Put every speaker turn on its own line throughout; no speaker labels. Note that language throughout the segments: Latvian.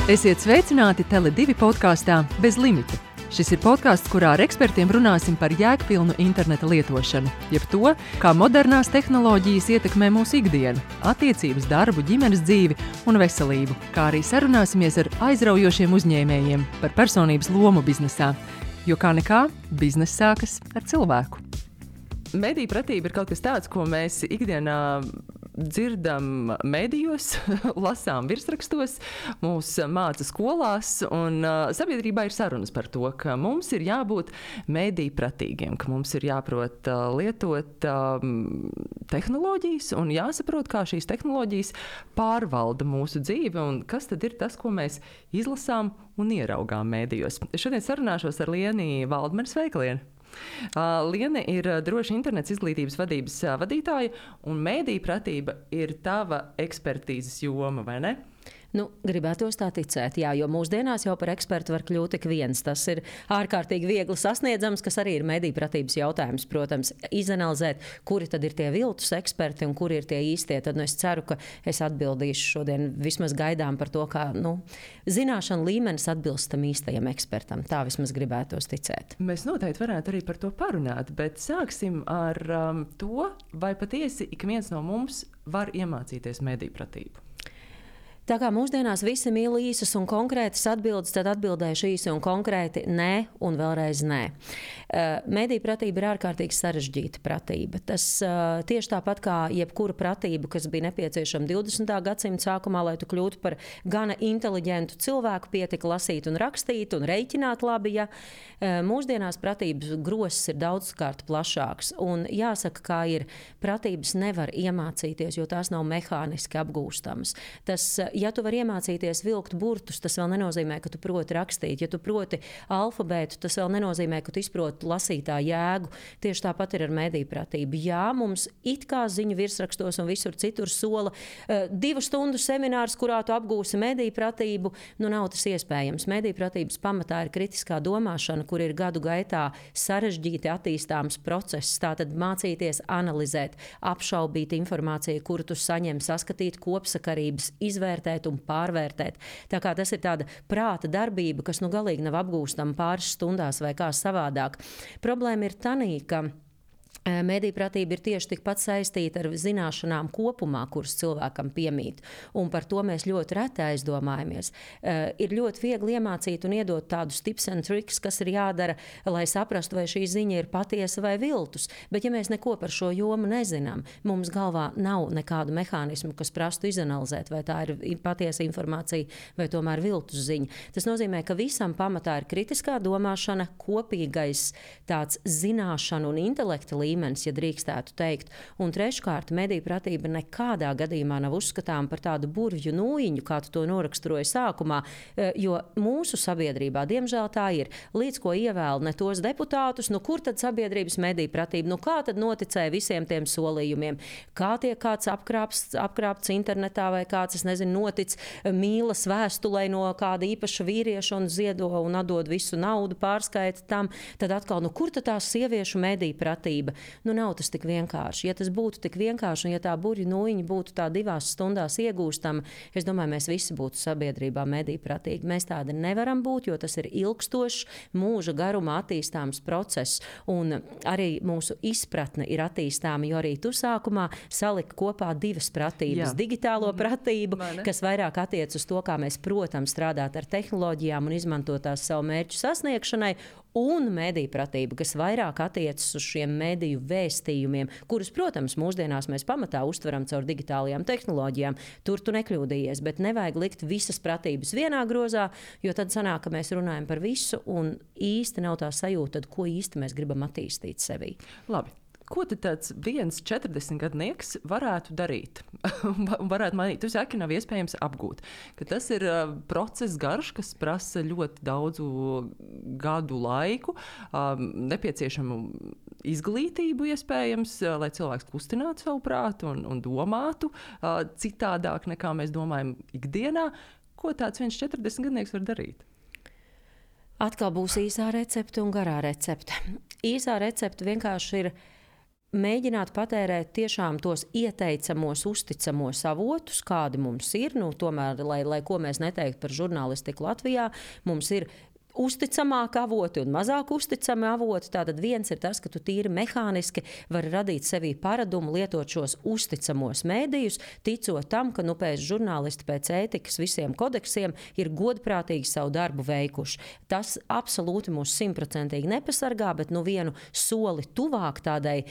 Esiet sveicināti Tele2 podkāstā Bez limita. Šis ir podkāsts, kurā ar ekspertiem runāsim par jēgpilnu interneta lietošanu, jeb to, kā modernās tehnoloģijas ietekmē mūsu ikdienu, attiecības, darbu, ģimenes dzīvi un veselību, kā arī sarunāsimies ar aizraujošiem uzņēmējiem par personības lomu biznesā, jo kā nekā, bizness sākas ar cilvēku. Mediju pratība ir kaut kas tāds, ko mēs ikdienā dzirdam medijos, lasām virsrakstos, mūs māca skolās, un sabiedrībā ir sarunas par to, ka mums ir jābūt mediju pratīgiem, ka mums ir jāprot lietot tehnoloģijas un jāsaprot, kā šīs tehnoloģijas pārvalda mūsu dzīvi un kas tad ir tas, ko mēs izlasām un ieraugām medijos. Šodien sarunāšos ar Lieni Valdmani. Sveika, Lieni! Liene ir droša internets izglītības vadības vadītāja, un mediju pratība ir tava ekspertīzes joma, vai ne?
Gribētos tā ticēt, jā, jo mūsdienās jau par ekspertu var kļūt ik viens. Tas ir ārkārtīgi viegli sasniedzams, kas arī ir mediju pratības jautājums, protams, izanalizēt, kuri tad ir tie viltus eksperti un kuri ir tie īstie. Tad es ceru, ka es atbildīšu šodien vismaz gaidām par to, kā zināšanu līmenis atbilst tam īstajam ekspertam. Tā vismaz gribētos ticēt.
Mēs noteikti varētu arī par to parunāt, bet sāksim ar to, vai patiesi ik viens no mums var iemācīties mediju pratību.
Tā kā mūsdienās visi mīl īsas un konkrētas atbildes, tad atbildēšu īsi un konkrēti nē un vēlreiz nē. Mediju pratība ir ārkārtīgi sarežģīta pratība. Tas tieši tāpat kā jebkura pratība, kas bija nepieciešama 20. gadsimta sākumā, lai tu kļūtu par gana inteliģentu cilvēku, pietika lasīt un rakstīt un reiķināt labi, ja mūsdienās pratības grosis ir daudzkārt plašāks. Un jāsaka, kā ir, pratības nevar iemācīties, jo tās nav mehāniski apgūstamas. Ja tu vari iemācīties vilkt burtus, tas vēl nenozīmē, ka tu proti rakstīt. Ja tu proti alfabētu, tas vēl nenozīmē, ka tu izproti lasītā jēgu. Tieši tāpat ir ar mediju pratību. Jā, mums it kā ziņu virsrakstos un visur citur sola 2 stundu seminārs, kurā tu apgūsi mediju pratību. Nav tas iespējams. Mediju pratības pamatā ir kritiskā domāšana, kur ir gadu gaitā sarežģīti attīstāms process. Tātad mācīties analizēt, apšaubīt informāciju, kuru tu saņem, saskatīt kopsakarības, izvērtēt un pārvērtēt. Tā kā tas ir tāda prāta darbība, kas galīgi nav apgūstama pāris stundās vai kā savādāk. Problēma ir tanī, ka mediju pratība ir tieši tikpat saistīta ar zināšanām kopumā, kuras cilvēkam piemīt. Un par to mēs ļoti reti aizdomājamies. Ir ļoti viegli iemācīt un iedot tādus tips and tricks, kas ir jādara, lai saprastu, vai šī ziņa ir patiesa vai viltus. Bet ja mēs neko par šo jomu nezinām, mums galvā nav nekādu mehānismu, kas prastu izanalizēt, vai tā ir patiesa informācija vai tomēr viltus ziņa. Tas nozīmē, ka visam pamatā ir kritiskā domāšana, kopīgais tāds zināšanu un intelekta līmenis, ja drīkstētu teikt. Un treškārt, mediju pratība nekādā gadījumā nav uzskatām par tādu burvju nūjiņu, kā tu to noraksturoji sākumā, jo mūsu sabiedrībā, diemžēl tā ir, līdz ko ievēl ne tos deputātus, kur tad sabiedrības mediju pratība, kā tad noticēja visiem tiem solījumiem, kā tiek kāds apkrāpts internetā vai kāds, notic mīlas vēstulē no kāda īpaša vīrieša un ziedo un atdod visu naudu, pārskaita tam, tad atkal, kur tad tā sieviešu mediju pratība? Nav tas tik vienkārši. Ja tas būtu tik vienkārši un ja tā burju nūjiņa būtu tā 2 stundās iegūstama, es domāju, mēs visi būtu sabiedrībā mediju pratīgi. Mēs tādi nevaram būt, jo tas ir ilgstošs, mūža garumā attīstāms process. Un arī mūsu izpratne ir attīstāma, jo arī tu sākumā saliki kopā 2 pratības. Jā. Digitālo pratību, kas vairāk attiec uz to, kā mēs, protams, strādāt ar tehnoloģijām un izmantot tās savu mērķu sasniegšanai, un mediju pratība, kas vairāk attiecas uz šiem mediju vēstījumiem, kurus, protams, mūsdienās mēs pamatā uztveram caur digitālajām tehnoloģijām. Tur tu nekļūdījies, bet nevajag likt visas pratības vienā grozā, jo tad sanāk, ka mēs runājam par visu un īsti nav tā sajūta, tad ko īsti mēs gribam attīstīt sevī.
Labi. Ko tad tāds viens 40-gadnieks varētu darīt? Varētu manīt, tu saki, nav iespējams apgūt. Ka tas ir process garš, kas prasa ļoti daudzu gadu laiku, nepieciešamu izglītību iespējams, lai cilvēks kustinātu savu prātu un domātu citādāk, nekā mēs domājam ikdienā. Ko tāds viens 40-gadnieks var darīt?
Atkal būs īsā recepte un garā recepte. Īsā recepte vienkārši ir mēģināt patērēt tiešām tos ieteicamos, uzticamos avotus, kādi mums ir. Tomēr, lai ko mēs neteiktu par žurnālistiku Latvijā, mums ir uzticamāki avoti un mazāk uzticami avoti. Tātad viens ir tas, ka tu tīri mehāniski vari radīt sevī paradumu lietot šos uzticamos mēdījus, ticot tam, ka pēc žurnālisti pēc ētikas visiem kodeksiem ir godprātīgi savu darbu veikuši. Tas absolūti mūs 100% nepasargā, bet vienu soli tuvāk tādai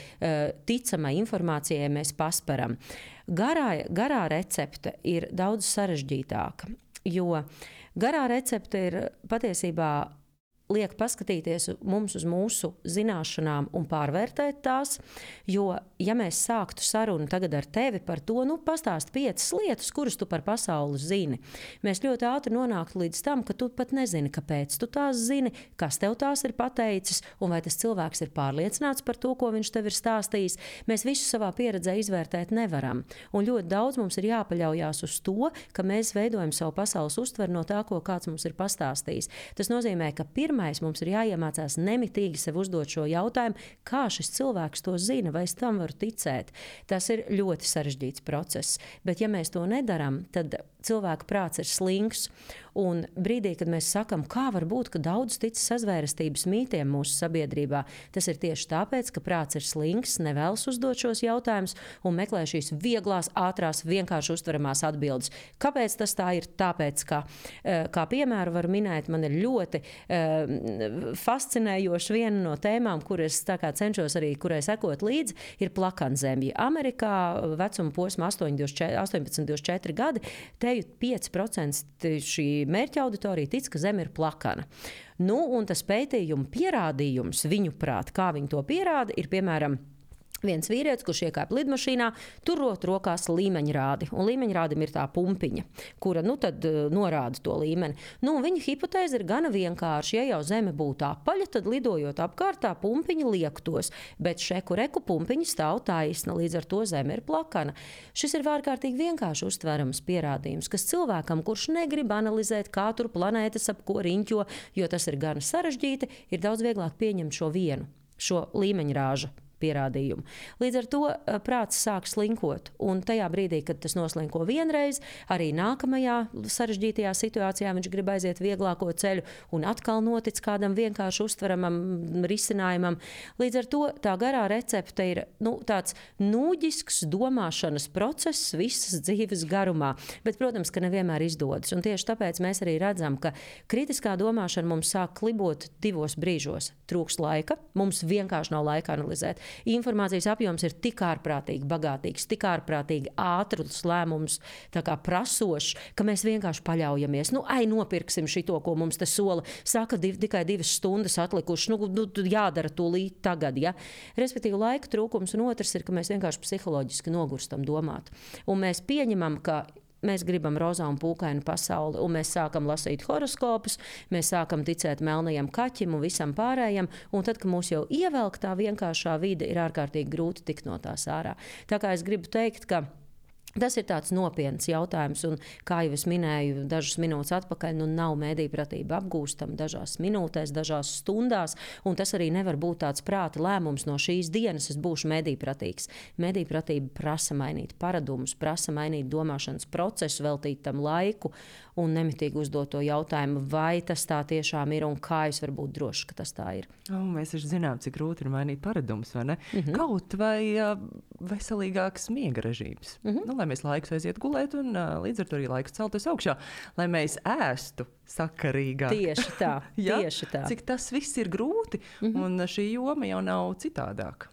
ticamai informācijai mēs pasperam. Garā recepte ir daudz sarežģītāka, jo garā recepte ir patiesībā liek paskatīties mums uz mūsu zināšanām un pārvērtēt tās, jo, ja mēs sāktu sarunu tagad ar tevi par to, pastāst 5 lietas, kuras tu par pasauli zini, mēs ļoti ātri nonāktu līdz tam, ka tu pat nezini, kāpēc tu tās zini, kas tev tās ir pateicis, un vai tas cilvēks ir pārliecināts par to, ko viņš tev ir stāstījis. Mēs visu savā pieredzē izvērtēt nevaram, un ļoti daudz mums ir jāpaļaujās uz to, ka mēs veidojam savu pasaules uztveru no tā, ko kāds mums ir pastāstījis. Tas nozīmē, ka mums ir jāiemācās nemitīgi sev uzdot šo jautājumu, kā šis cilvēks to zina, vai es tam varu ticēt. Tas ir ļoti sarežģīts process, bet ja mēs to nedaram, tad cilvēka prāts ir slinks, un brīdī, kad mēs sakam, kā var būt, ka daudz tic sazvērestības mītiem mūsu sabiedrībā, tas ir tieši tāpēc, ka prāts ir slinks, nevēlas uzdot šos jautājumus un meklē šīs vieglās, ātrās, vienkārši uztveramās atbildes. Kāpēc tas tā ir? Tāpēc, kā piemēru var minēt, man ir ļoti fascinējoša viena no tēmām, kuras cenšos arī, kurai sekot līdzi, ir plakanzemja. Amerikā vecuma posma 18-24 gadi, te 5% šī mērķa auditorija tic, ka Zeme ir plakana. Un tas pētījuma pierādījums, viņuprāt, kā viņi to pierāda, ir piemēram viens vīrietis, kurš iekāpa lidmašīnā, turot rokās līmeņrādi. Un līmeņrādim ir tā pumpiņa, kura tad norāda to līmeni. Viņa hipotēze ir gana vienkārša. Ja jau Zeme būtu apaļa, tad lidojot apkārt tā pumpiņa liektos. Bet šeku reku pumpiņa stāv taisna, līdz ar to Zeme ir plakana. Šis ir ārkārtīgi vienkārši uztverams pierādījums, kas cilvēkam, kurš negrib analizēt, kā tur planētas ap ko riņķo, jo tas ir gana sarežģīti, ir daudz vieglāk pieņemt šo līmeņrāža pierādījumu. Līdz ar to prāts sāk slinkot, un tajā brīdī, kad tas noslinko vienreiz, arī nākamajā sarežģītajā situācijā viņš grib aiziet vieglāko ceļu un atkal notic kādam vienkārši uztveramam risinājumam. Līdz ar to tā garā recepte ir tāds nūģisks domāšanas process visas dzīves garumā, bet, protams, ka nevienmēr izdodas, un tieši tāpēc mēs arī redzam, ka kritiskā domāšana mums sāk klibot 2 brīžos. Trūkst laika, mums vienkārši nav laika analizēt. Informācijas apjoms ir tik ārprātīgi bagātīgs, tik ārprātīgi ātrus lēmumus prasošs, ka mēs vienkārši paļaujamies. Nopirksim šito, ko mums te sola. Saka, tikai 2 stundas atlikušas, jādara tūlīt tagad. Ja? Respektīvi, laika trūkums, un otrs ir, ka mēs vienkārši psiholoģiski nogurstam domāt. Un mēs pieņemam, ka mēs gribam rozā un pūkainu pasauli, un mēs sākam lasīt horoskopus, mēs sākam ticēt melnajam kaķim un visam pārējam, un tad, kad mūs jau ievelk tā vienkāršā vide, ir ārkārtīgi grūti tikt no tās ārā. Tā kā es gribu teikt, ka tas ir tāds nopietns jautājums, un, kā jau es minēju dažas minūtes atpakaļ, nav mēdīpratība apgūstama dažās minūtēs, dažās stundās, un tas arī nevar būt tāds prāta lēmums no šīs dienas, es būšu mēdīpratīgs. Mēdīpratība prasa mainīt paradumus, prasa mainīt domāšanas procesu, veltīt tam laiku un nemitīgi uzdot to jautājumu, vai tas tā tiešām ir un kā es varu būt drošs, ka tas tā ir.
Mēs taču zinām, cik grūti ir mainīt paradumus, vai ne? Kaut vai veselīgāks miega režīms. Lai mēs laikus aiziet gulēt un līdz ar to arī laikus celties augšā, lai mēs ēstu sakarīgāk.
Tieši tā, tieši tā.
Cik tas viss ir grūti, un šī joma jau nav citādāk.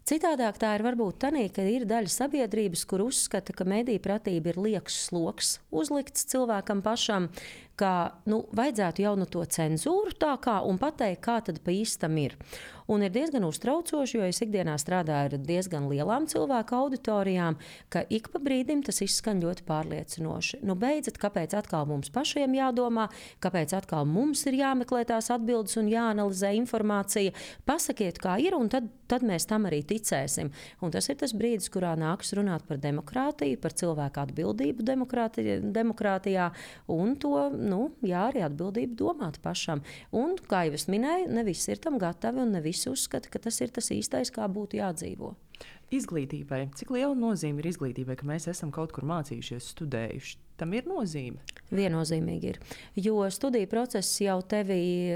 Citādāk tā ir varbūt tanī, ka ir daļa sabiedrības, kur uzskata, ka medijpratība ir lieks sloks uzlikts cilvēkam pašam, ka vajadzētu jau to cenzūru tā kā un pateikt, kā tad pa īstam ir. Un ir diezgan uztraucoši, jo es ikdienā strādāju ar diezgan lielām cilvēku auditorijām, ka ik pa brīdim tas izskan ļoti pārliecinoši. Beidzot, kāpēc atkal mums pašiem jādomā, kāpēc atkal mums ir jāmeklē tās atbildes un jāanalizē informācija. Pasakiet, kā ir, un tad mēs tam arī ticēsim. Un tas ir tas brīdis, kurā nāks runāt par demokrātiju, par cilvēku atbildību demokrātijā un to arī atbildība domāt pašam. Un, kā jau es minēju, ne visi ir tam gatavi un ne visi uzskata, ka tas ir tas īstais, kā būtu jādzīvo.
Izglītībai. Cik liela nozīme ir izglītībai, ka mēs esam kaut kur mācījušies, studējuši? Tam ir nozīme.
Viennozīmīgi ir. Jo studiju process jau tevi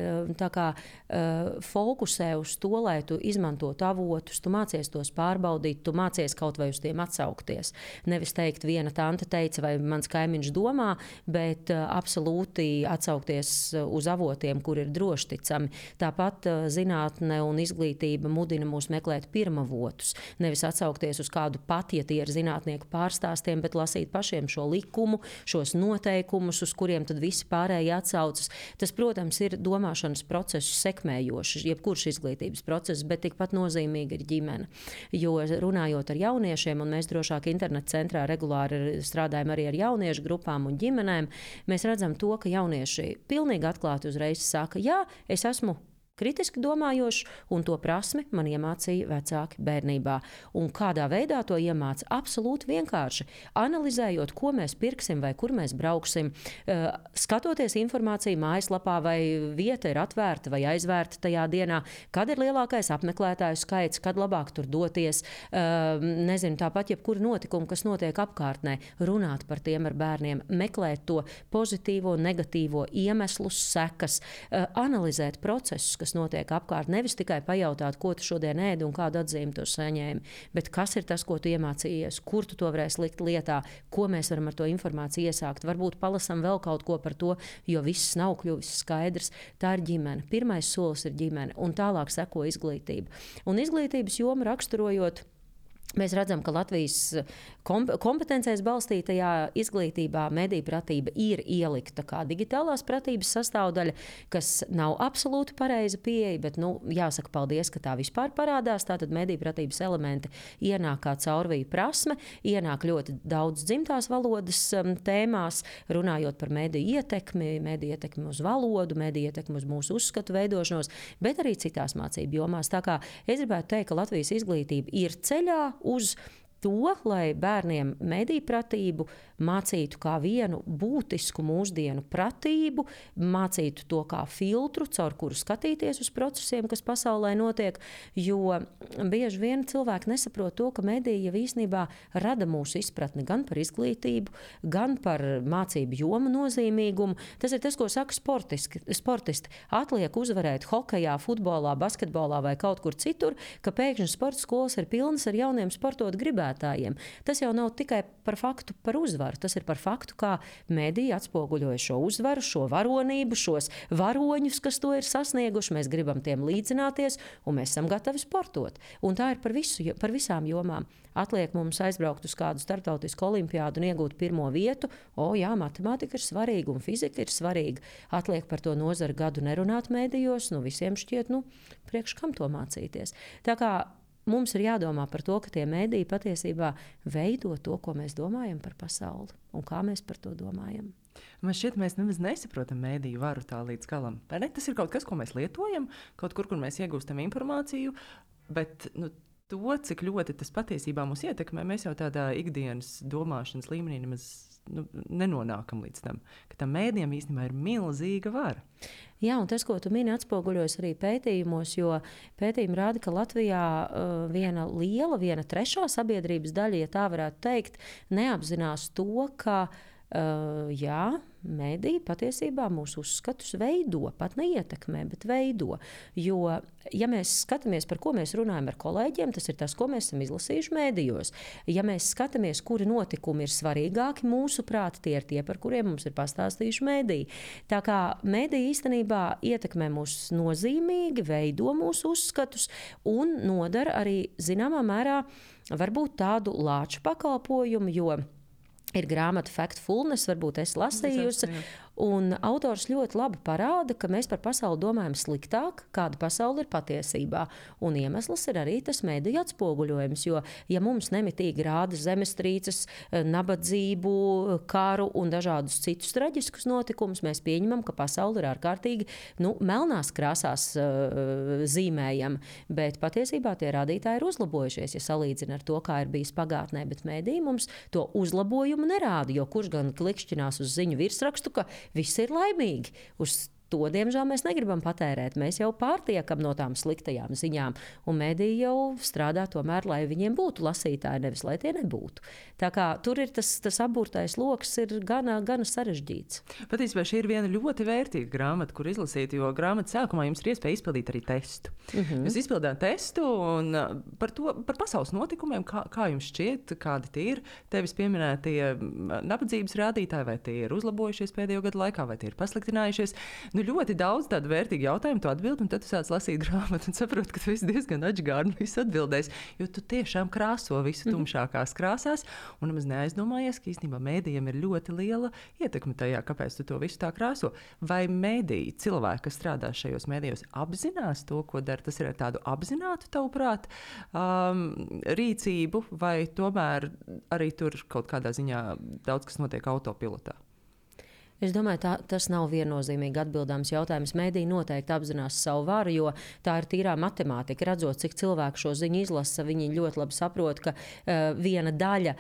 fokusē uz to, lai tu izmantotu avotus, tu mācies tos pārbaudīt, tu mācies kaut vai uz tiem atsaukties. Nevis teikt, viena tante teica, vai mans kaimiņš domā, bet absolūti atsaukties uz avotiem, kur ir drošticami. Tāpat zinātne un izglītība mudina mūs meklēt pirmavotus. Nevis atsaukties uz kādu pat, ja tie ir zinātnieku pārstāstiem, bet lasīt pašiem šo likumu, šos noteikumus, uz kuriem tad visi pārējie atsaucas. Tas, protams, ir domāšanas procesu sekmējošs, jebkurš izglītības process, bet tikpat nozīmīgi ir ģimene. Jo runājot ar jauniešiem, un mēs drošāk interneta centrā regulāri strādājam arī ar jauniešu grupām un ģimenēm, mēs redzam to, ka jaunieši pilnīgi atklāti uzreiz saka, jā, es esmu kritiski domājošs, un to prasmi man iemācīja vecāki bērnībā. Un kādā veidā to iemāca? Absolūti vienkārši. Analizējot, ko mēs pirksim vai kur mēs brauksim, skatoties informāciju mājaslapā, vai vieta ir atvērta vai aizvērta tajā dienā, kad ir lielākais apmeklētāju skaits, kad labāk tur doties, tāpat jebkuru notikumu, kas notiek apkārtnē, runāt par tiem ar bērniem, meklēt to pozitīvo, negatīvo iemeslus, sekas, analizēt procesus, kas notiek apkārt. Nevis tikai pajautāt, ko tu šodien ēdi un kādu atzīmi tu saņēmi, bet kas ir tas, ko tu iemācījies, kur tu to varēsi likt lietā, ko mēs varam ar to informāciju iesākt. Varbūt palasam vēl kaut ko par to, jo viss nav kļuvis skaidrs. Tā ir ģimene. Pirmais solis ir ģimene, un tālāk seko izglītība. Un izglītības jomu raksturojot, mēs redzam, ka Latvijas kompetencēs balstītajā izglītībā mediju pratība ir ielikta kā digitālās pratības sastāvdaļa, kas nav absolūti pareiza pieeja, bet jāsaka paldies, ka tā vispār parādās. Tātad mediju pratības elementi ienāk kā caurviju prasme, ienāk ļoti daudz dzimtās valodas tēmās, runājot par mediju ietekmi uz valodu, mediju ietekmi uz mūsu uzskatu veidošanos, bet arī citās mācību jomās. Tā kā es gribētu teikt, ka Latvijas izglītība ir ceļā uz to, lai bērniem mediju pratību mācītu kā vienu būtisku mūsdienu pratību, mācītu to kā filtru, caur kuru skatīties uz procesiem, kas pasaulē notiek, jo bieži vien cilvēki nesaprot to, ka mediji jau īstenībā rada mūsu izpratni gan par izglītību, gan par mācību jomu nozīmīgumu. Tas ir tas, ko saka sportisti. Atliek uzvarēt hokejā, futbolā, basketbolā vai kaut kur citur, ka pēkšņi sporta skolas ir pilnas ar jauniem sportot gribētājiem. Tas jau nav tikai par faktu par uzvaru, tas ir par faktu, kā mediji atspoguļoja šo uzvaru, šo varonību, šos varoņus, kas to ir sasnieguši. Mēs gribam tiem līdzināties, un mēs esam gatavi sportot. Un tā ir par visām jomām. Atliek mums aizbraukt uz kādu starptautisku olimpiādu un iegūt pirmo vietu. Jā, matemātika ir svarīga un fizika ir svarīga. Atliek par to nozari gadu nerunāt medijos, visiem šķiet, priekš kam to mācīties. Tā kā mums ir jādomā par to, ka tie mediji patiesībā veido to, ko mēs domājam par pasauli un kā mēs par to domājam.
Man šķiet, mēs nemaz nesaprotam mediju varu tā līdz galam. Tas ir kaut kas, ko mēs lietojam, kaut kur mēs iegūstam informāciju, bet to, cik ļoti tas patiesībā mūs ietekmē, mēs jau tādā ikdienas domāšanas līmenī nemaz nenonākam līdz tam, ka tam mēdījiem īstenībā ir milzīga vara.
Jā, un tas, ko tu mini, atspoguļojas arī pētījumos, jo pētījumi rāda, ka Latvijā viena trešā sabiedrības daļa, ja tā varētu teikt, neapzinās to, ka mediji patiesībā mūsu uzskatus veido, pat neietekmē, bet veido. Jo, ja mēs skatāmies, par ko mēs runājam ar kolēģiem, tas ir tas, ko mēs esam izlasījuši medijos. Ja mēs skatāmies, kuri notikumi ir svarīgāki mūsuprāt, tie ir tie, par kuriem mums ir pastāstījuši mediji. Tā kā mediji īstenībā ietekmē mūs nozīmīgi, veido mūsu uzskatus un nodara arī zināmā mērā varbūt tādu lāču pakalpojumu, jo ir grāmata Factfulness, varbūt es lasījusi, un autors ļoti labi parāda, ka mēs par pasauli domājam sliktāk, kāda pasaule ir patiesībā. Un iemesls ir arī tas mediju atspoguļojums, jo, ja mums nemitīgi rāda zemestrīces, nabadzību, karu un dažādus citus traģiskus notikumus, mēs pieņemam, ka pasaule ir ārkārtīgi melnās krāsās zīmējama, bet patiesībā tie rādītāji ir uzlabojušies, ja salīdzina ar to, kā ir bijis pagātnē, bet mediji mums to uzlabojumu nerāda, jo kurš gan klikšķinās uz ziņu virsrakstu, ka viss ir laimīgi. Uz to, diemžēl, mēs negribam patērēt. Mēs jau pārtiekam no tām sliktajām ziņām, un mediji jau strādā tomēr, lai viņiem būtu lasītāji, nevis lai tie nebūtu. Tā kā tur ir tas apburtais loks ir gana sarežģīts.
Patiesībā šī ir viena ļoti vērtīga grāmata, kur izlasīt, jo grāmatas sākumā jums ir iespēja izpildīt arī testu. Jūs izpildāt testu un par pasaules notikumiem, kā jums šķiet, kādi tie ir. Tevis pieminētie nabadzības rādītāji, vai tie ir uzlabojušies pēdējo gadu laikā, vai tie ir pasliktinājušies. Ļoti daudz tādu vērtīgu jautājumu tu atbildi, un tad tu sāc lasīt grāmatu un saproti, ka tu esi diezgan atžgārni visu atbildējis, jo tu tiešām krāso visu tumšākās krāsās, un nemaz neaizdomājies, ka īstenībā mēdījiem ir ļoti liela ietekme tajā, kāpēc tu to visu tā krāso. Vai mēdīji, cilvēki, kas strādā šajos mēdījos, apzinās to, ko dara? Tas ir ar tādu apzinātu, tavuprāt, rīcību, vai tomēr arī tur kaut kādā ziņā daudz kas notiek autopilotā?
Es domāju, tas nav viennozīmīgi atbildāms jautājums. Mēdī noteikti apzinās savu varu, jo tā ir tīrā matemātika. Redzot, cik cilvēku šo ziņu izlasa, viņi ļoti labi saprot, ka viena daļa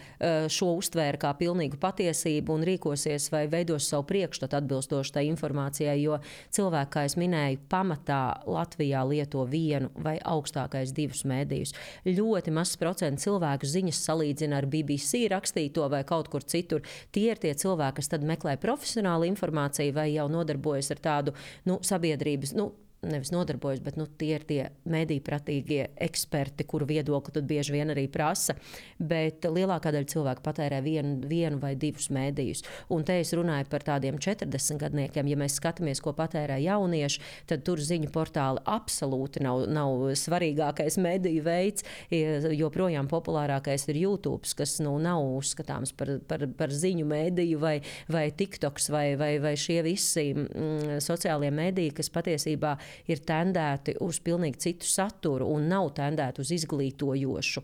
šo uztvēra kā pilnīgu patiesību un rīkosies vai veidos savu priekšstatu atbilstoši tai informācijai, jo cilvēki, kā es minēju, pamatā Latvijā lieto vienu vai augstākais divus mēdījus. Ļoti mazs procents cilvēku ziņas salīdzina ar BBC rakstīto vai kaut kur citur. Tie ir tie cilvēki, kas tad meklē profesionāli informāciju vai jau nodarbojas ar tādu sabiedrības, nevis nodarbojas, bet tie ir tie medijpratīgie eksperti, kuru viedokli tad bieži vien arī prasa, bet lielākā daļa cilvēku patērē vienu vai divus mēdījus. Un te es runāju par tādiem 40 gadniekiem. Ja mēs skatāmies, ko patērē jaunieši, tad tur ziņu portāli absolūti nav svarīgākais mediju veids, joprojām populārākais ir YouTube, kas nav uzskatāms par ziņu mediju vai TikToks vai šie visi sociālie mediji, kas patiesībā ir tendēti uz pilnīgi citu saturu un nav tendēti uz izglītojošu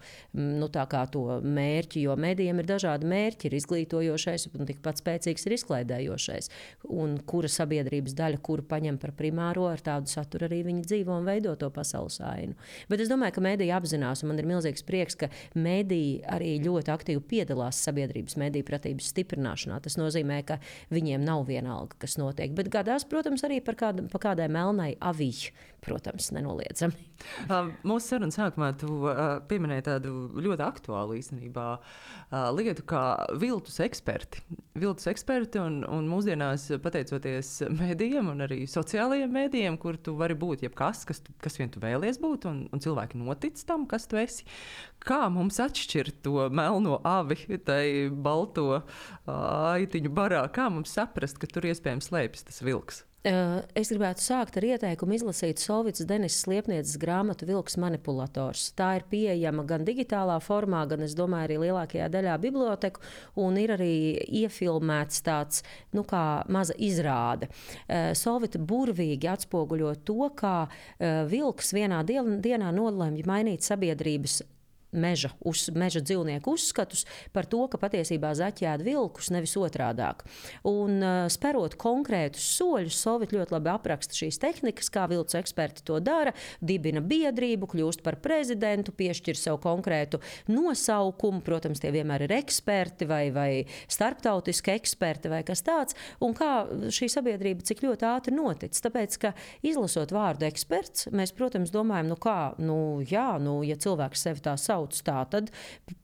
tā kā to mērķi, jo medijiem ir dažādi mērķi, ir izglītojošais un tikpat spēcīgs ir izklaidējošais. Un kura sabiedrības daļa, kuru paņem par primāro, ar tādu saturu arī viņi dzīvo un veido to pasaules ainu. Bet es domāju, ka mediji apzinās, un man ir milzīgs prieks, ka mediji arī ļoti aktīvi piedalās sabiedrības medijpratības stiprināšanā. Tas nozīmē, ka viņiem nav vienalga, kas notiek. Bet gadās, protams, arī par kādai melnai avīķi, protams, nenoliedzami.
Mūsu sarunas sākumā tu pieminēji tādu ļoti aktuālu īstenībā lietu kā viltus eksperti. Viltus eksperti un mūsdienās, pateicoties mēdījiem un arī sociālajiem mēdījiem, kur tu vari būt jebkas, kas vien tu vēlies būt, un cilvēki notic tam, kas tu esi. Kā mums atšķirt to melno avi, tai balto aitiņu barā? Kā mums saprast, ka tur iespējams slēpjas tas vilks?
Es gribētu sākt ar ieteikumu izlasīt Solvicas Denisas Liepnieces grāmatu Vilks manipulators. Tā ir pieejama gan digitālā formā, gan, es domāju, arī lielākajā daļā biblioteku, un ir arī iefilmēts tāds, kā maza izrāde. Solvita burvīgi atspoguļo to, kā vilks vienā dienā nolēma mainīt sabiedrības meža dzīvnieku uzskatus par to, ka patiesībā zaķēd vilkus, nevis otrādāk. Un sperot konkrētus soļus, Solvita ļoti labi apraksta šīs tehnikas, kā viltus eksperti to dara, dibina biedrību, kļūst par prezidentu, piešķir sev konkrētu nosaukumu, protams, tie vienmēr ir eksperti vai starptautiski eksperti vai kas tāds, un kā šī sabiedrība cik ļoti ātri notic. Tāpēc, ka izlasot vārdu eksperts, mēs, protams, domājam, ja cilvēks sevi tā sauc, tad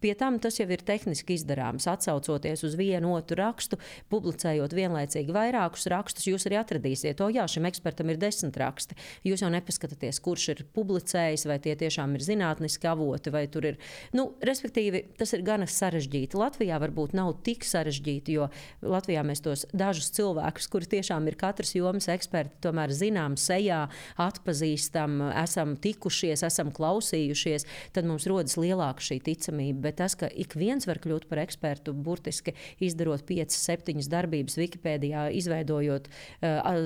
pie tam tas jau ir tehniski izdarāms. Atsaucoties uz vienu otru rakstu, publicējot vienlaicīgi vairākus rakstus, jūs arī atradīsiet, šim ekspertam ir 10 raksti. Jūs jau nepaskatāties, kurš ir publicējis, vai tie tiešām ir zinātniski avoti, vai tur ir. Respektīvi, tas ir gana sarežģīti. Latvijā varbūt nav tik sarežģīti, jo Latvijā mēs tos dažus cilvēkus, kuri tiešām ir katras jomas eksperti, tomēr zinām sejā, atpazīstam, esam tikušies, esam klausījušies, tad mums rodas lielāka šī ticamība, bet tas, ka ik viens var kļūt par ekspertu, burtiski izdarot 5-7 darbības Wikipēdijā, izveidojot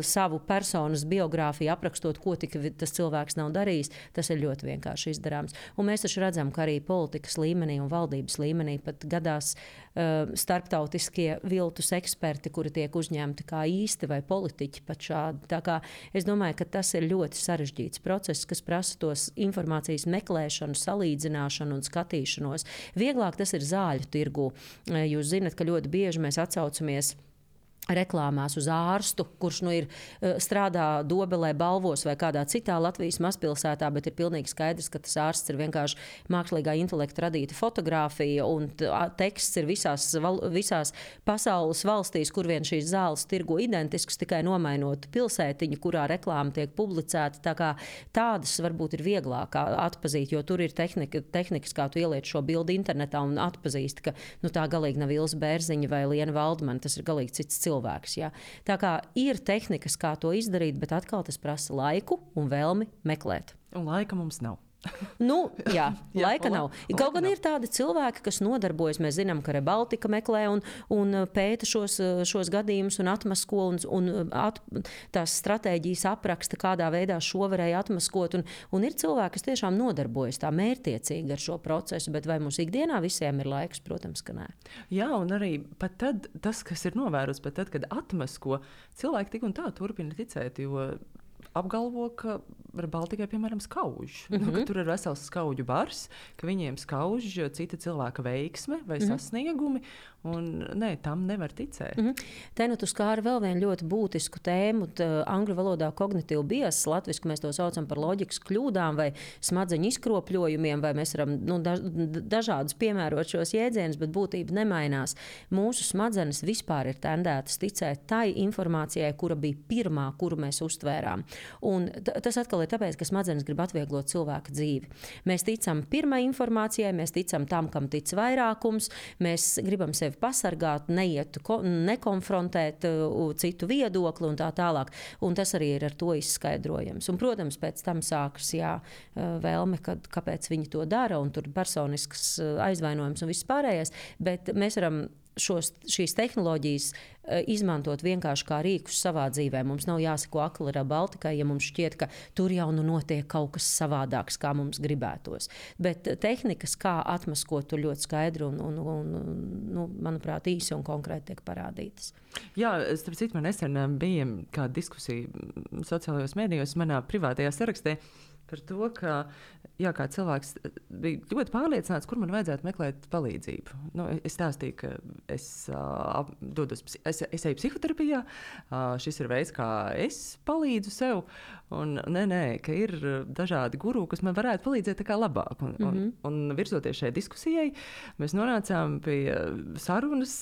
savu personas biogrāfiju, aprakstot, ko tik tas cilvēks nav darījis, tas ir ļoti vienkārši izdarāms. Un mēs taču redzam, ka arī politikas līmenī un valdības līmenī pat gadās starptautiskie viltus eksperti, kuri tiek uzņemti kā īsti vai politiķi pat šādi. Tā kā es domāju, ka tas ir ļoti sarežģīts process, kas prasa tos informācijas meklēšanu, salīdzināšanu un skatīšanos. Vieglāk tas ir zāļu tirgū. Jūs zinat, ka ļoti bieži mēs atsaucamies reklāmās uz ārstu, kurš strādā Dobelē, Balvos vai kādā citā Latvijas mazpilsētā, bet ir pilnīgi skaidrs, ka tas ārsts ir vienkārši mākslīgā intelekta radīta fotografija, un teksts ir visās pasaules valstīs, kur vien šīs zāles tirgo identisks, tikai nomainot pilsētiņu, kurā reklāma tiek publicēta. Tā kā tādas varbūt ir vieglāk atpazīt, jo tur ir tehnikas, kā tu ieliec šo bildi internetā un atpazīst, ka tā galīgi nav Ilze Bērziņa vai Liena Valdmane, tas ir galīgi cits cilvēks. Ja? Tā kā ir tehnikas, kā to izdarīt, bet atkal tas prasa laiku un vēlmi meklēt.
Un laika mums nav.
Jā, laika nav. Kaut gan ir tādi cilvēki, kas nodarbojas. Mēs zinām, ka Rebaltika meklē un pēta šos gadījumus un atmasko tās stratēģijas apraksta, kādā veidā šo varēja atmaskot. Un ir cilvēki, kas tiešām nodarbojas tā mērķtiecīgi ar šo procesu, bet vai mums ikdienā visiem ir laiks? Protams, ka nē.
Jā, un arī pat tad, tas, kas ir novērots, pat tad, kad atmasko, cilvēki tik un tā turpina ticēt, jo apgalvo, ka Baltikai, piemēram, skauž. Ka tur ir vesels skauģu bars, ka viņiem skauž cita cilvēka veiksme vai sasniegumi, un tam nevar ticēt.
Te tu skāri vēl vienu ļoti būtisku tēmu, angļu valodā kognitīvu bias, latviski mēs to saucam par loģikas kļūdām vai smadzeņu izkropļojumiem, vai mēs varam dažādus piemērot šos jēdzienus, bet būtība nemainās. Mūsu smadzenes vispār ir tendētas ticēt tai informācijai, kura bija pirmā, kuru mēs uztvērām. Un tas atkal ir tāpēc, ka smadzenes grib atvieglot cilvēka dzīvi. Mēs ticam pirmai informācijai, mēs ticam tam, kam tic vairākums, mēs gribam sevi pasargāt, nekonfrontēt citu viedokli un tā tālāk. Un tas arī ir ar to izskaidrojams. Un, protams, pēc tam sākas vēlme, kāpēc viņi to dara, un tur personisks aizvainojums un viss pārējais, bet mēs varam šīs tehnoloģijas izmantot vienkārši kā rīkus savā dzīvē. Mums nav jāsako akli Baltikai, ja mums šķiet, ka tur jau notiek kaut kas savādāks, kā mums gribētos. Bet tehnikas, kā atmaskot, tur ļoti skaidri un manuprāt, īsi un konkrēti tiek parādītas.
Jā, starp citu, man nesen bija kāda diskusija sociālajos mēdījos manā privātajā sarakstē par to, ka kā cilvēks bija ļoti pārliecināts, kur man vajadzētu meklēt palīdzību. Es stāstīju, ka es eju psihoterapijā, šis ir veids, kā es palīdzu sev, un ka ir dažādi guru, kas man varētu palīdzēt tā kā labāk. Un virzoties šai diskusijai, mēs nonācām pie sarunas,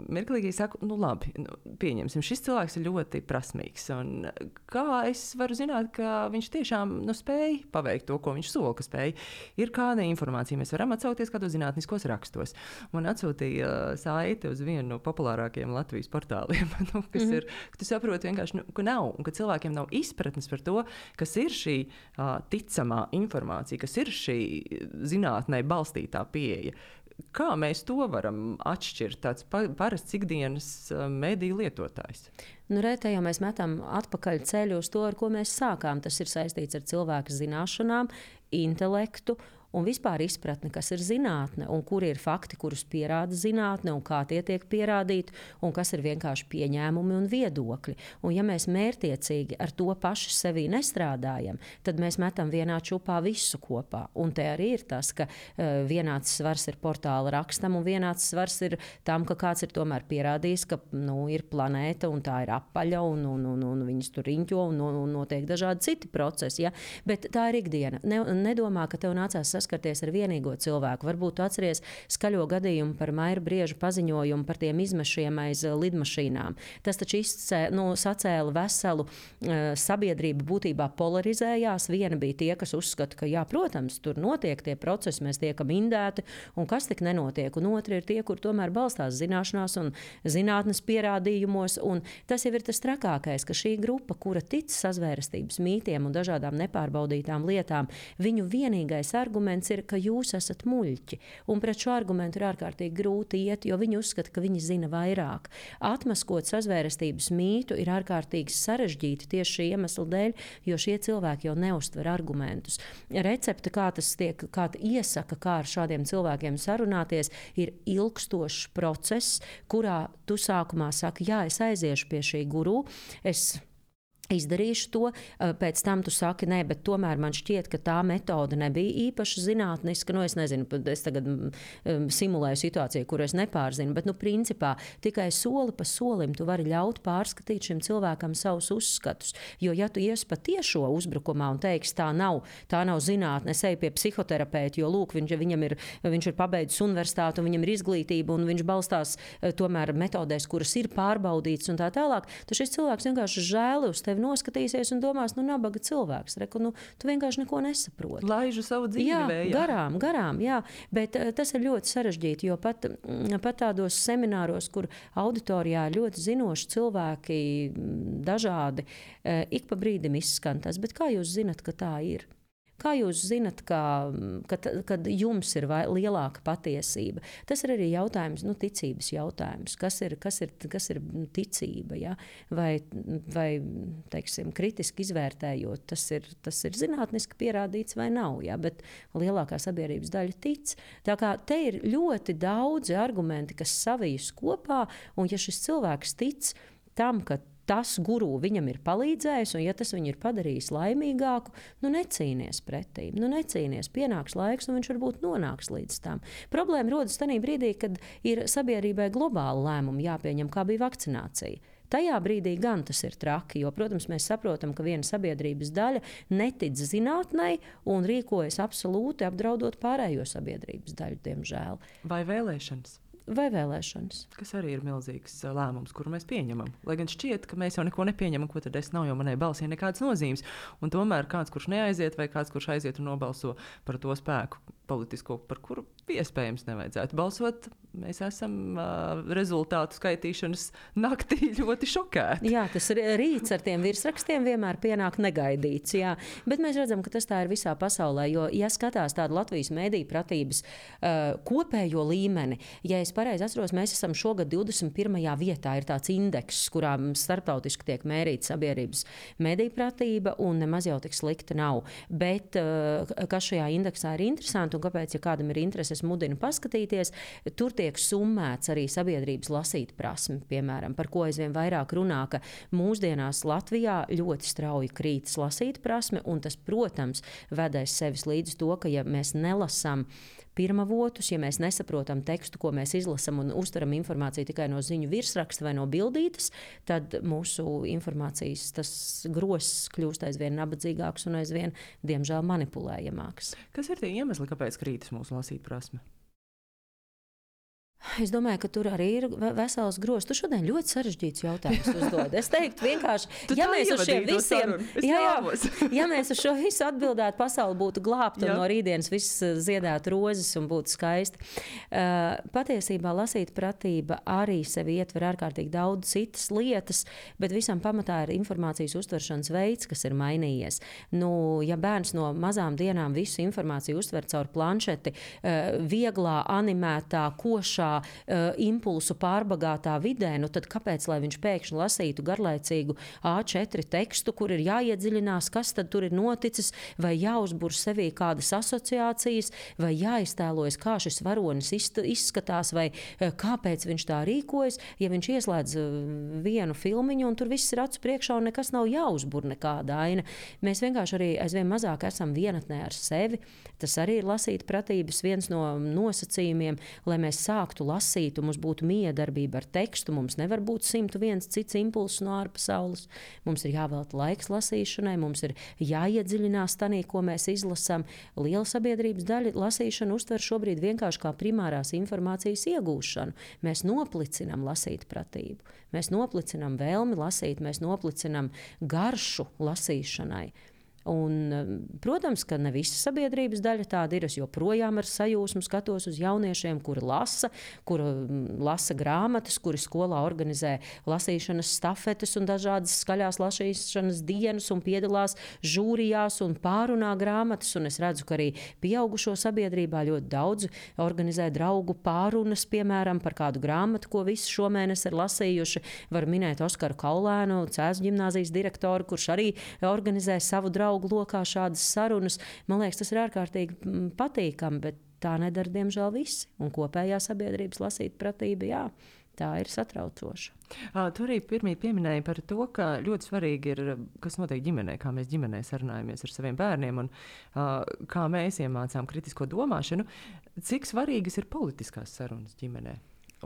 mirklīgi saku, labi, pieņemsim, šis cilvēks ir ļoti prasmīgs, un kā es varu zināt, ka viņš tiešām spēj paveikt to, ko viņš sola, ka spēj. Ir kāda informācija, mēs varam atsaukties kādos zinātniskos rakstos. Man atsūtīja saiti uz vienu no populārākajiem Latvijas portāliem, kas ir, ka tu saproti vienkārši, ka nav, un ka cilvēkiem nav izpratnes par to, kas ir šī ticamā informācija, kas ir šī zinātnē balstītā pieeja. Kā mēs to varam atšķirt, tāds parasts ikdienas mediju lietotājs?
Te jau mēs metam atpakaļ ceļu uz to, ar ko mēs sākām. Tas ir saistīts ar cilvēka zināšanām, intelektu un vispār izpratni, kas ir zinātne, un kuri ir fakti, kurus pierāda zinātne, un kā tie tiek pierādīti, un kas ir vienkārši pieņēmumi un viedokļi. Un ja mēs mērtiecīgi ar to paši sevī nestrādājam, tad mēs metam vienā čupā visu kopā. Un te arī ir tas, ka vienāds svars ir portāla rakstam, un vienāds svars ir tam, ka kāds ir tomēr pierādījis, ka ir planēta, un tā ir apaļa, un viņas tur riņķo, un notiek dažādi citi procesi. Ja? Bet tā ir ikdiena. Nedomā, ka tev nācās saskarties ar vienīgo cilvēku. Varbūt tu atceries skaļo gadījumu par Maira Brieža paziņojumu par tiem izmešiem aiz lidmašīnām. Tas taču sacēla veselu sabiedrību, būtībā polarizējās. Viena bija tie, kas uzskata, ka jā, protams, tur notiek tie procesi, mēs tiekam indēti, un kas tik nenotiek. Un otri ir tie, kur tomēr balstās zināšanās un zinātnes pierādījumos. Un tas jau ir tas trakākais, ka šī grupa, kura tic sazvērestības mītiem un dažādām nepārbaudītām lietām, viņu vienīgais arguments ir, ka jūs esat muļķi. Un pret šo argumentu ir ārkārtīgi grūti iet, jo viņi uzskata, ka viņi zina vairāk. Atmaskot sazvērestības mītu ir ārkārtīgi sarežģīti tieši šī iemesla dēļ, jo šie cilvēki jau neuztver argumentus. Recepte, kā iesaka, kā ar šādiem cilvēkiem sarunāties, ir ilgstošs process, kurā tu sākumā saki, jā, es aiziešu pie šī guru, es izdarīšu to, pēc tam tu saki, nē, bet tomēr man šķiet, ka tā metode nebija īpaši zinātniska. Es nezinu, es tagad simulēju situāciju, kuru es nepārzinu, bet, principā, tikai soli pa solim tu vari ļaut pārskatīt šim cilvēkam savus uzskatus. Jo, ja tu ies pa tiešo uzbrukumā un teiksi, tā nav zinātne, es eju pie psihoterapeita, jo, lūk, viņš ir pabeidzis universitāti un viņam ir izglītība un viņš balstās tomēr metodēs, kuras ir pārbaudītas un tā tālāk, tad šis cilvēks vienkārši žēli uz tevi noskatīsies un domās, nabaga cilvēks. Tu vienkārši neko nesaproti.
Laižu savu dzīvi vējā.
Garām, jā. Bet tas ir ļoti sarežģīti, jo pat tādos semināros, kur auditorijā ļoti zinoši cilvēki dažādi, ik pa brīdim izskan tas, bet kā jūs zinat, ka tā ir? Kā jūs zinat, kad jums ir lielāka patiesība? Tas ir arī jautājums, ticības jautājums. Kas ir ticība? Ja? Vai teiksim, kritiski izvērtējot, tas ir zinātniski pierādīts vai nav, ja? Bet lielākā sabiedrības daļa tic. Tā kā te ir ļoti daudzi argumenti, kas savijas kopā, un ja šis cilvēks tic tam, ka tas guru viņam ir palīdzējis, un ja tas viņu ir padarījis laimīgāku, necīnies pretī. Necīnies, pienāks laiks, un viņš varbūt nonāks līdz tam. Problēma rodas tajā brīdī, kad ir sabiedrībai globāli lēmumi jāpieņem, kā bija vakcinācija. Tajā brīdī gan tas ir traki, jo, protams, mēs saprotam, ka viena sabiedrības daļa netic zinātnei un rīkojas absolūti apdraudot pārējo sabiedrības daļu, diemžēl.
Vai vēlēšanas?
Kas
arī ir milzīgs lēmums, kuru mēs pieņemam. Lai gan šķiet, ka mēs jau neko nepieņemam, ko tad es nav, jo manai balsī nekādas nozīmes. Un tomēr kāds, kurš neaiziet, vai kāds, kurš aiziet un nobalso par to spēku politisko, par kuru iespējams nevajadzētu balsot, mēs esam rezultātu skaitīšanas naktī ļoti šokēti.
Jā, tas rīts ar tiem virsrakstiem vienmēr pienāk negaidīts. Jā. Bet mēs redzam, ka tas tā ir visā pasaulē. Jo, ja skatās tādu Latvijas mediju pratības kopējo līmeni, ja es pareizi atceros, mēs esam šogad 21. vietā. Ir tāds indeks, kurā starptautiski tiek mērīta sabiedrības mediju pratība, un nemaz jau tik slikta nav. Bet kas šajā indeksā ir interesanti, un kāpēc, ja kādam ir interese, es mudinu paskatīties, tur tiek summēts arī sabiedrības lasīt prasmi, piemēram, par ko aizvien vairāk runā, ka mūsdienās Latvijā ļoti strauji krītas lasīt prasme, un tas, protams, vedais sevis līdz to, ka ja mēs nelasām pirmavotus, ja mēs nesaprotam tekstu, ko mēs izlasam un uztveram informāciju tikai no ziņu virsraksta vai no bildītes, tad mūsu informācijas tas gross kļūst aizvien nabadzīgāks un aizvien, diemžēl, manipulējamāks.
Kas ir tie iemesli, kāpēc krītas mūsu lasīt prasme?
Es domāju, ka tur arī ir vesels grozs. Tu šodien ļoti sarežģīts jautājums uzdod. Es teiktu vienkārši, ja mēs uz šo visu atbildētu, pasauli būtu glābta un no rītdienas viss ziedētu rozes un būtu skaisti. Patiesībā lasīt pratība arī sevi ietver ārkārtīgi daudz citas lietas, bet visam pamatā ir informācijas uztveršanas veids, kas ir mainījies. Ja bērns no mazām dienām visu informāciju uztver caur planšeti, vieglā, animētā, košā, impulsu pārbagātā vidē, tad kāpēc, lai viņš pēkšņi lasītu garlaicīgu A4 tekstu, kur ir jāiedziļinās, kas tad tur ir noticis, vai jāuzbur sevī kādas asociācijas, vai jāiztēlojas, kā šis varonis izskatās, vai kāpēc viņš tā rīkojas, ja viņš ieslēdz vienu filmiņu un tur viss ir acu priekšā un nekas nav jāuzbur nekāda aina. Mēs vienkārši arī aizvien mazāk esam vienatnē ar sevi. Tas arī ir lasīt pratības viens no nosacījumiem, lai mēs sāktu lasīt, un mums būtu miedarbība ar tekstu. Mums nevar būt 101 cits impulss no ārpasaules. Mums ir jāvelta laiks lasīšanai, mums ir jāiedziļinās tanī, ko mēs izlasām. Liela sabiedrības daļa lasīšanu uztver šobrīd vienkārši kā primārās informācijas iegūšanu. Mēs noplicinam lasīt pratību. Mēs noplicinam vēlmi lasīt, mēs noplicinam garšu lasīšanai. Un, protams, ka ne visa sabiedrības daļa tāda ir. Es joprojām ar sajūsmu skatos uz jauniešiem, kuri lasa grāmatas, kuri skolā organizē lasīšanas stafetes un dažādas skaļās lasīšanas dienas un piedalās žūrijās un pārunā grāmatas. Un es redzu, ka arī pieaugušo sabiedrībā ļoti daudz organizē draugu pārunas, piemēram, par kādu grāmatu, ko visi šomēnes ir lasījuši. Var minēt Oskaru Kaulēnu, Cēzu ģimnāzijas direktoru, kurš arī organizē savu draugu lokā šādas sarunas. Man liekas, tas ir ārkārtīgi patīkami, bet tā nedara, diemžēl, visi. Un kopējā sabiedrības lasīt pratība, jā, tā ir satraucoša.
Tu arī pirmie pieminēji par to, ka ļoti svarīgi ir, kas notiek ģimenē, kā mēs ģimenē sarunājamies ar saviem bērniem un kā mēs iemācām kritisko domāšanu. Cik svarīgas ir politiskās sarunas ģimenē?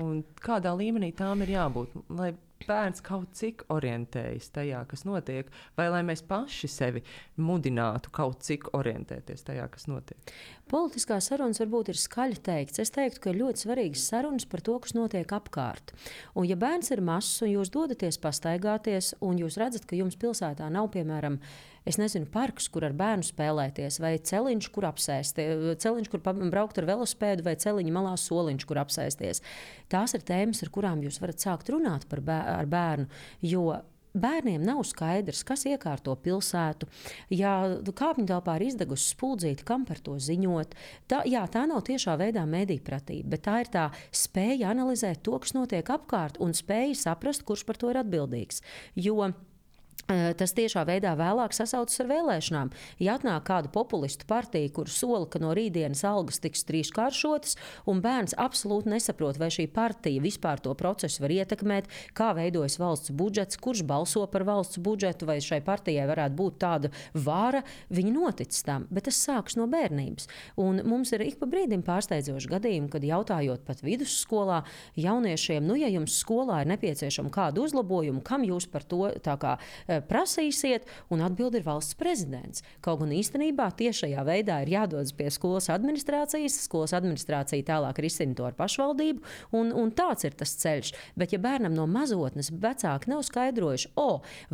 Un kādā līmenī tām ir jābūt, lai bērns kaut cik orientējas tajā, kas notiek, vai lai mēs paši sevi mudinātu kaut cik orientēties tajā, kas notiek?
Politiskās sarunas varbūt ir skaļi teikts. Es teiktu, ka ir ļoti svarīgas sarunas par to, kas notiek apkārt. Un ja bērns ir mazs un jūs dodaties pastaigāties, un jūs redzat, ka jums pilsētā nav, piemēram, parks, kur ar bērnu spēlēties, vai celiņš, kur apsēsties, celiņš, kur braukt ar velospēdu, vai celiņa malā soliņš, kur apsēsties. Tās ir tēmas, ar kurām jūs varat sākt runāt ar bērnu, jo bērniem nav skaidrs, kas iekārto pilsētu. Ja kāpņu telpā ir izdegusi spuldzīte, kam par to ziņot? Tā nav tiešā veidā medijpratība, bet tā ir tā spēja analizēt to, kas notiek apkārt, un spēja saprast, kurš par to ir atbildīgs. Jo tas tiešā veidā vēlāk sasaucas ar vēlēšanām. Ja atnāk kāda populistu partija, kur sola, ka no rītdienas algas tiks trīskāršotas, un bērns absolūti nesaprot, vai šī partija vispār to procesu var ietekmēt, kā veidojas valsts budžets, kurš balso par valsts budžetu, vai šai partijai varētu būt tāda vara, viņi notic tam, bet tas sāks no bērnības. Un mums ir ik pa brīdim pārsteidzoši gadījumi, kad jautājot pat vidusskolā jauniešiem, ja jums skolā ir nepieciešama kāda uzlabojuma, kam jūs par to tā kā prasīsiet, un atbildi ir valsts prezidents. Kaut gan īstenībā tiešajā veidā ir jādodas pie skolas administrācijas, skolas administrācija tālāk risina to ar pašvaldību, un tāds ir tas ceļš. Bet ja bērnam no mazotnes vecāki nav skaidrojuši,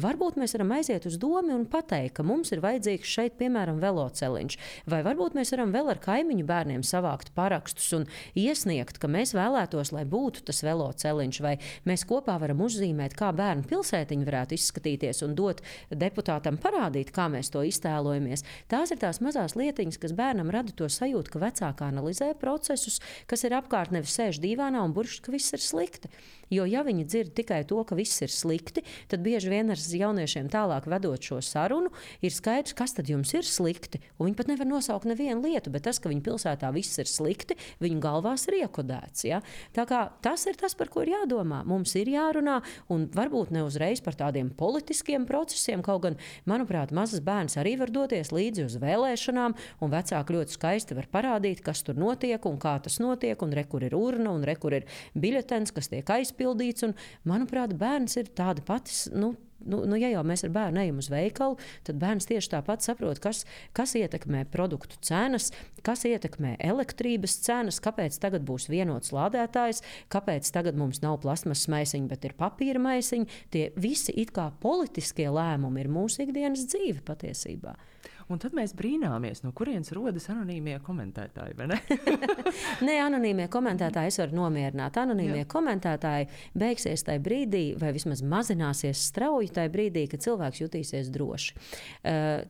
varbūt mēs varam aiziet uz domu un pateikt, ka mums ir vajadzīgs šeit, piemēram, veloceliņš, vai varbūt mēs varam vēl ar kaimiņu bērniem savākt parakstus un iesniegt, ka mēs vēlētos, lai būtu tas veloceliņš, vai mēs kopā varam uzzīmēt, kā bērnu pilsētiņa varētu izskatīties un dot deputātam parādīt, kā mēs to iztēlojamies. Tās ir tās mazās lietiņas, kas bērnam rada to sajūtu, ka vecāki analizē procesus, kas ir apkārt, nevis sēž dīvānā un burš, ka viss ir slikti. Jo ja viņi dzird tikai to, ka viss ir slikti, tad bieži vien ar jauniešiem tālāk vedot šo sarunu, ir skaidrs, kas tad jums ir slikti. Un viņi pat nevar nosaukt nevienu lietu, bet tas, ka viņu pilsētā viss ir slikti, viņu galvās ir iekodēts. Ja? Tā kā tas ir tas, par ko ir jādomā. Mums ir jārunā, un varbūt ne uzreiz par tādiem politiskiem procesiem, kaut gan, manuprāt, mazs bērns arī var doties līdzi uz vēlēšanām, un vecāki ļoti skaisti var parādīt, kas tur notiek un kā tas notiek, un re, kur ir urna, un re, kur ir biļetens, kas tiek aizpildīts, un, manuprāt, bērns ir tāda pati, ja jau mēs ar bērnu ejam uz veikalu, tad bērns tieši tāpat saprot, kas ietekmē produktu cenas, kas ietekmē elektrības cenas, kāpēc tagad būs vienots lādētājs, kāpēc tagad mums nav plasmasas maisiņi, bet ir papīra maisiņi. Tie visi it kā politiskie lēmumi ir mūsu ikdienas dzīve patiesībā.
Un tad mēs brīnāmies, no kurienes rodas anonīmie komentētāji, vai ne?
Nē, anonīmie komentētāji es varu nomierināt. Anonīmie komentētāji beigsies tajā brīdī, vai vismaz mazināsies strauji tajā brīdī, kad cilvēks jutīsies droši.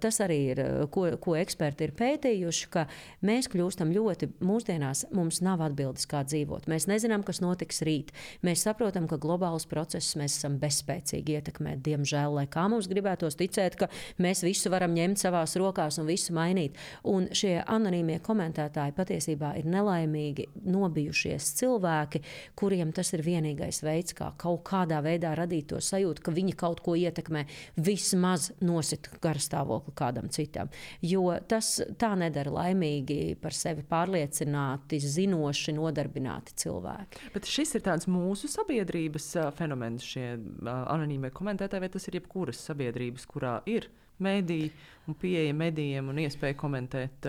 Tas arī ir, ko eksperti ir pētījuši, ka mēs kļūstam ļoti, mūsdienās mums nav atbildes, kā dzīvot. Mēs nezinām, kas notiks rīt. Mēs saprotam, ka globālus procesus mēs esam bezspēcīgi ietekmēt. Diemžēl, lai kā mums gribētos ticēt, ka mēs visu varam ņemt savās rokās un visu mainīt. Un šie anonīmie komentētāji patiesībā ir nelaimīgi nobijušies cilvēki, kuriem tas ir vienīgais veids, kā kaut kādā veidā radīt to sajūtu, ka viņi kaut ko ietekmē, vismaz nosit garastāvokli kādam citam. Jo tas tā nedara laimīgi par sevi pārliecināti, zinoši, nodarbināti cilvēki.
Bet šis ir tāds mūsu sabiedrības fenomens, šie anonīmie komentētāji, vai tas ir jebkuras sabiedrības, kurā ir mediji un pieeja medijiem un iespēja komentēt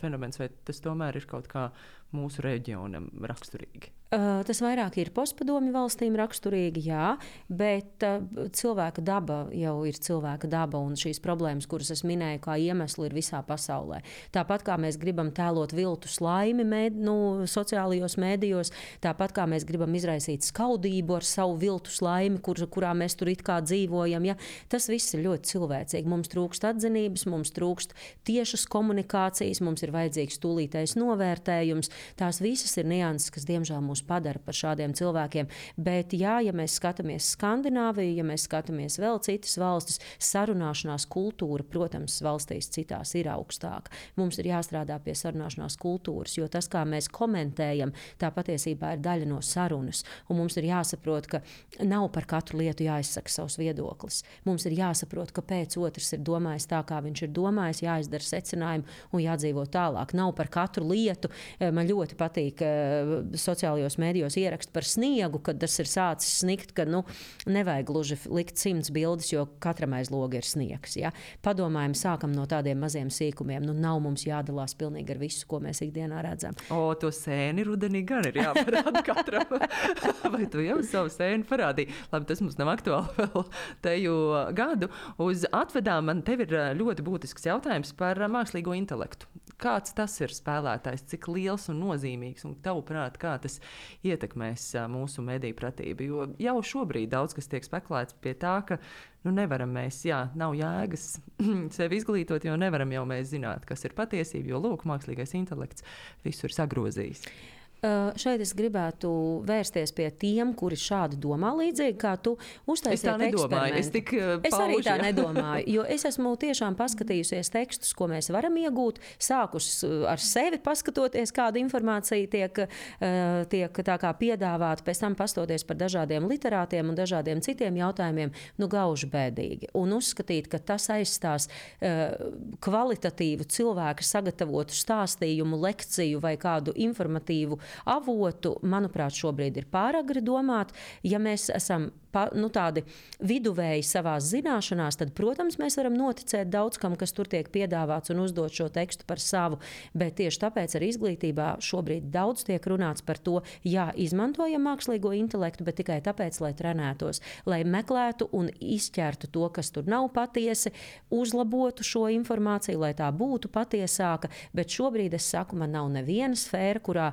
fenomens, vai tas tomēr ir kaut kā mūsu reģionam raksturīgi?
Tas vairāk ir postpadomju valstīm raksturīgi, jā, bet cilvēka daba jau ir cilvēka daba, un šīs problēmas, kuras es minēju, kā iemesli, ir visā pasaulē. Tāpat kā mēs gribam tēlot viltus laimi sociālajos mēdījos, tāpat kā mēs gribam izraisīt skaudību ar savu viltus laimi, kurā mēs tur it kā dzīvojam, ja, tas viss ir ļoti cilvēcīgi. Mums trūkst atzinības, mums trūkst tiešas komunikācijas, mums ir vajadzīgs tūlītais novērtējums. Tās visas ir nianses, kas diemžēl mūsu mūs padara par šādiem cilvēkiem. Bet jā, ja mēs skatāmies Skandināviju, ja mēs skatāmies vēl citas valstis, sarunāšanās kultūra, protams, valstīs citās ir augstāka. Mums ir jāstrādā pie sarunāšanās kultūras, jo tas, kā mēs komentējam, tā patiesībā ir daļa no sarunas. Un mums ir jāsaprot, ka nav par katru lietu jāizsaka savs viedoklis. Mums ir jāsaprot, kāpēc otrs ir domājis tā, kā viņš ir domājis, jāizdara secinājumi un jādzīvo tālāk. Nav par katru lietu. Man ļoti patīk sociālajos mēdījos ierakst par sniegu, kad tas ir sācis snikt, ka nevajag gluži likt 100 bildes, jo katram aiz loga ir sniegs. Ja? Padomājam, sākam no tādiem maziem sīkumiem. Nav mums jādalās pilnīgi ar visu, ko mēs ikdienā redzam.
To sēni rudenī gan ir jāparāda katram. Vai tu jau savu sēni parādīji? Labi, tas mums nav aktuāli vēl teju gadu. Uz atvedām man tev ir ļoti būtisks jautājums par mākslīgo intelektu. Kāds tas ir spēlētājs, cik liels un nozīmīgs, un tavuprāt, kā tas ietekmēs mūsu mediju pratību? Jo jau šobrīd daudz kas tiek spekulēts pie tā, ka nevaram mēs, nav jēgas sevi izglītot, jo nevaram jau mēs zināt, kas ir patiesība, jo lūk, mākslīgais intelekts visu ir sagrozījis.
Šeit es gribētu vērsties pie tiem, kuri šādi domā līdzīgi, kā tu uztaisiet eksperimentu. Es arī tā nedomāju, jo es esmu tiešām paskatījusies tekstus, ko mēs varam iegūt, sākus ar sevi paskatoties, kāda informācija tiek tā kā piedāvāta, pēc tam pastoties par dažādiem literātiem un dažādiem citiem jautājumiem, gauži bēdīgi. Un uzskatīt, ka tas aizstās kvalitatīvu cilvēku sagatavotu stāstījumu, lekciju vai kādu informatīvu avotu, manuprāt, šobrīd ir pāragri domāt. Ja mēs esam tādi viduvēji savās zināšanās, tad, protams, mēs varam noticēt daudz kam, kas tur tiek piedāvāts un uzdot šo tekstu par savu. Bet tieši tāpēc arī izglītībā šobrīd daudz tiek runāts par to, izmantojam mākslīgo intelektu, bet tikai tāpēc, lai trenētos, lai meklētu un izķertu to, kas tur nav patiesi, uzlabotu šo informāciju, lai tā būtu patiesāka. Bet šobrīd es saku, man nav neviena sfēra, kurā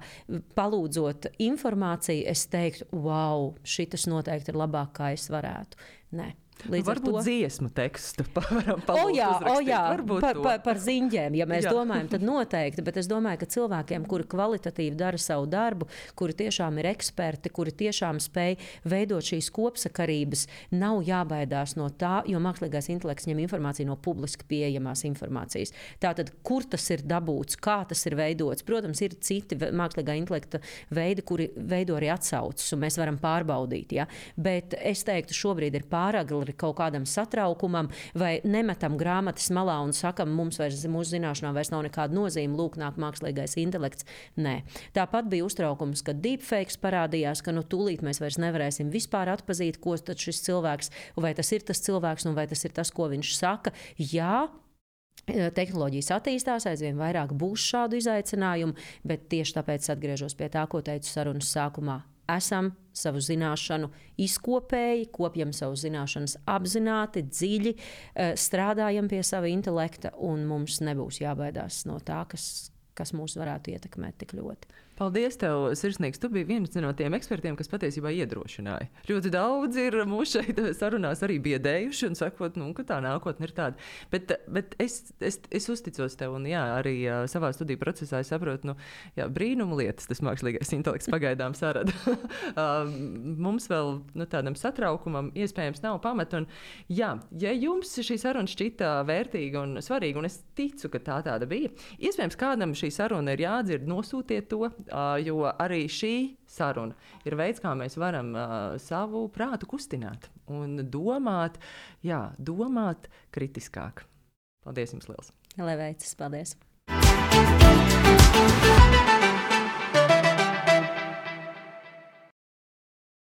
palūdzot informāciju, es teiktu, wow, šitas noteikti ir labāk, kā es varētu. Nē.
Varbūt dziesmu tekstu varam uzrakstīt.
Par ziņģēm, ja mēs domājam, tad noteikti, bet es domāju, ka cilvēkiem, kuri kvalitatīvi dara savu darbu, kuri tiešām ir eksperti, kuri tiešām spēj veidot šīs kopsakarības, nav jābaidās no tā, jo mākslīgais intelekts ņem informāciju no publiski pieejamās informācijas. Tātad, kur tas ir dabūts, kā tas ir veidots? Protams, ir citi mākslīgā intelekta veidi, kuri veido arī atsaucas, un mēs varam pārbaudīt, ja? Bet es teiktu, šobrīd ir pāragri kaut kādam satraukumam, vai nemetam grāmatas malā un sakam, mūsu zināšanām vairs nav nekāda nozīme, lūk, nāk mākslīgais intelekts. Nē. Tāpat bija uztraukums, kad deepfakes parādījās, ka tūlīt mēs vairs nevarēsim vispār atpazīt, ko tad šis cilvēks, vai tas ir tas cilvēks, un vai tas ir tas, ko viņš saka. Jā, tehnoloģijas attīstās, aizvien vairāk būs šādu izaicinājumu, bet tieši tāpēc atgriežos pie tā, ko teicu sarunas sākumā. Esam savu zināšanu izkopēji, kopjam savu zināšanas apzināti, dziļi, strādājam pie sava intelekta, un mums nebūs jābaidās no tā, kas mūs varētu ietekmēt tik ļoti.
Paldies tev, sirsnīgs. Tu biji viens no tiem ekspertiem, kas patiesībā iedrošināja. Ļoti daudz ir mūs šeit sarunās arī biedējuši un sakot, ka tā nākotne ir tāda. Bet es uzticos tev un arī savā studiju procesā es saprotu, brīnumu lietas tas mākslīgais intelekts pagaidām sarada. Mums vēl tādam satraukumam iespējams nav pamata. Un, ja jums šī saruna šķita vērtīga un svarīga, un es ticu, ka tā tāda bija, iespējams kādam šī saruna ir jādzird, nosūtiet to, jo arī šī saruna ir veids, kā mēs varam savu prātu kustināt un domāt kritiskāk. Paldies jums liels!
Lai veicas, paldies!